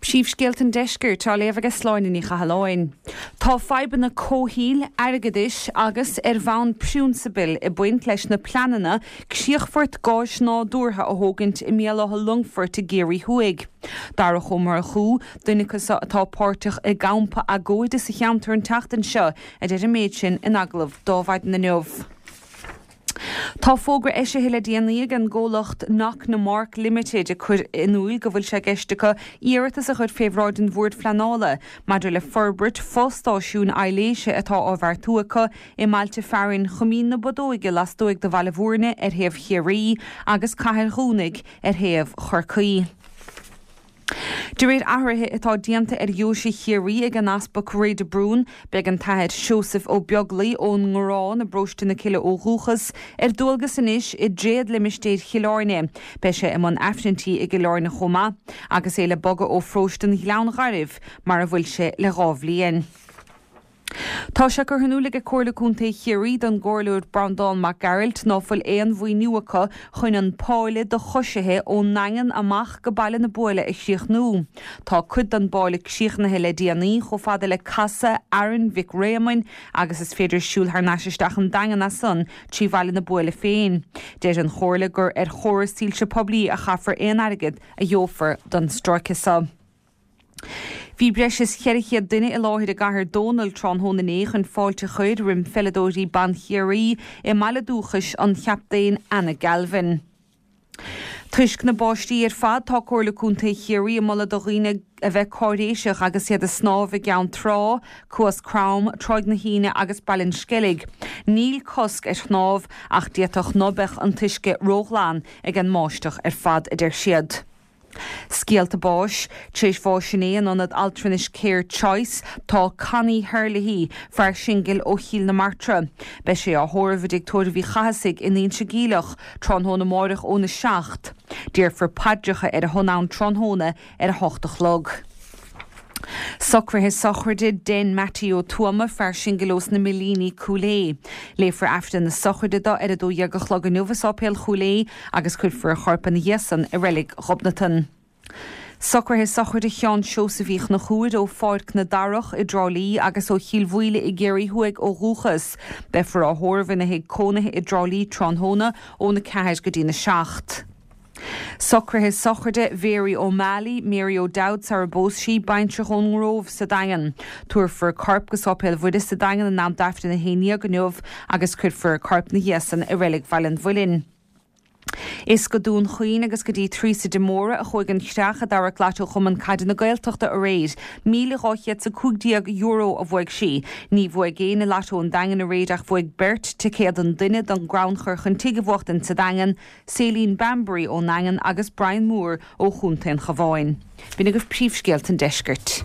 Príomhscéalta an Deiscirt á léamh aige Sláine Ní Chathalláin. Tá fadhbanna comhshaoil, airgeadais agus ar bhonn priúnsabail ag baint leis na pleananna críochfort gáis nádúrtha a thógaint i mBéal Átha Longfoirt i gCiarraí Thuaidh. Darach Ó Murchú, duine acu so atá páirteach i gcampa agóide sa cheantar an tseachtain seo, a deir an méid sin in agallamh do Adhmhaidin inniu. Tá fógra eisithe le déanaí ag an gcomhlacht Knocknamark Limited ag cur in iúil go bhfuil sé i gceist acu iarratas a chur fé bhráid an Bhoird Phleanála maidir le forbairt fo-stáisiúin aibhléise atá á bheartú acu i mbailte fearainn Choimín na Bodóige lastuaidh de Bhaile Bhúirne ar thaobh Chiarraí agus Cathair Dhúnaigh ar thaobh Chorcaí. De réir athruithe atá déanta ar Dheoise Chiarraí ag an Easpag Ray de Brún, beidh an tAthair Seosamh Ó Beaglaoi ón nGarrán i bparóiste na Cille ó dhúchas, ar dualgas anois i dtréadlimistéir Chill Airne. Beidh sé i mbun Aifrinntí i gCill Airne chomh maith, agus é le bogadh ó pharóiste an Ghleann Ghairbh, mar a bhfuil sé le dha bhliain. Tá sé curtha in iúl aige Comhairle Contae Chiarraí don gComhairleoir Breandán Mac Gearailt ná fuil aon mhaoiniú acu chun an páile do choisithe ón nDaingean amach go Baile na Buaile a chríochnú. Tá cuid den bpáile críochnaithe le déanaí, chomh fada le casadh Fhearann Mhic Réamoinn agus is féidir siúl thar n-ais isteach an Daingean as san trí Bhaile na Buaile féin. Deir an Chomhairle gur ar chóras soilse poiblí a chaithfear aon airgead a gheofar don stráice so. Bhí breis is 400 duine i láthair i gCathair Dónall tráthnóna inné chun fáilte a chur roim pheileadóirí ban Chiarraí i mbaile dúchais an chaptaein Anna Galvin. Toisc na báistí ar fad tá Comhairle Contae Chiarraí ag moladh do dhaoine a bheith cáiréiseach agus iad ag snámh i gCeann Trá, Cuas Crom, Tráigh na hAoine agus Baile an Sceilg. Níl cosc ar shnámh ach d'fhéadfadh ná beadh an t-uisce róghlan ag an mbáisteach ar fad, a deir siad. Scéalta báis, Tar éis bháis inné in ionad altranais Care Choice tá Connie Herlihy, fear singil ó Chill na Martra. Beidh sé á thórramh i dtigh tórraimh Uí Chathasaigh in Inse Geimhleach tráthnóna amáireach óna 7. Déarfar paidreacha ar a shon ann tráthnóna ar a hocht a chlog. Socruithe sochraide Den Mattie Ó Tuama, fear singil ós na Millíní, Cúil Aodha. Léifear Aifreann na sochraide do ar 12 a chlog inniu i Sáipéal Chúil Aodha agus cuirfear a chorp ina dhiaidh san i Reilig Ghobnatan. Socruithe sochraide Sheáin Seosaimh Uí Chonchúir ó Pháirc na Darach i dTrá Lí agus ó Chill Mhaoile i gCiarraí Thuaidh ó dhúchas. Beifear á thórramh ina thigh cónaithe i dTrá Lí tráthnóna óna 4 go dtína 7. Socruithe sochraide Mhary O'Malley, Mary O'Dowd sara bpós sí, baintreach ón nGrómh sa Daingean. Tabharfar a corp go Sáipéal Mhuire sa Daingean in am d'Aifreann a haon dhéag inniu agus cuirfear a corp 'na dhiaidh san i Reilig Bhaile an Mhuilinn. Is go Dún Chaoin agus go dtí Teresa de Mórdha a chuaigh an chreach a d'amharc Lató Chumann Caide na Gaeltachta aréir. €1,215 a bhuaigh sí. Ní bhuaigh éinne Lató an Daingin aréir ach bhuaigh beirt ticéad an duine don gcrannchur chun tigh a bhuachtaint sa Daingean, Céline Bambury ón nDaingean agus Brian Moore ó Chontae an Chabháin. B'in agaibh príomhscéalta an deiscirt.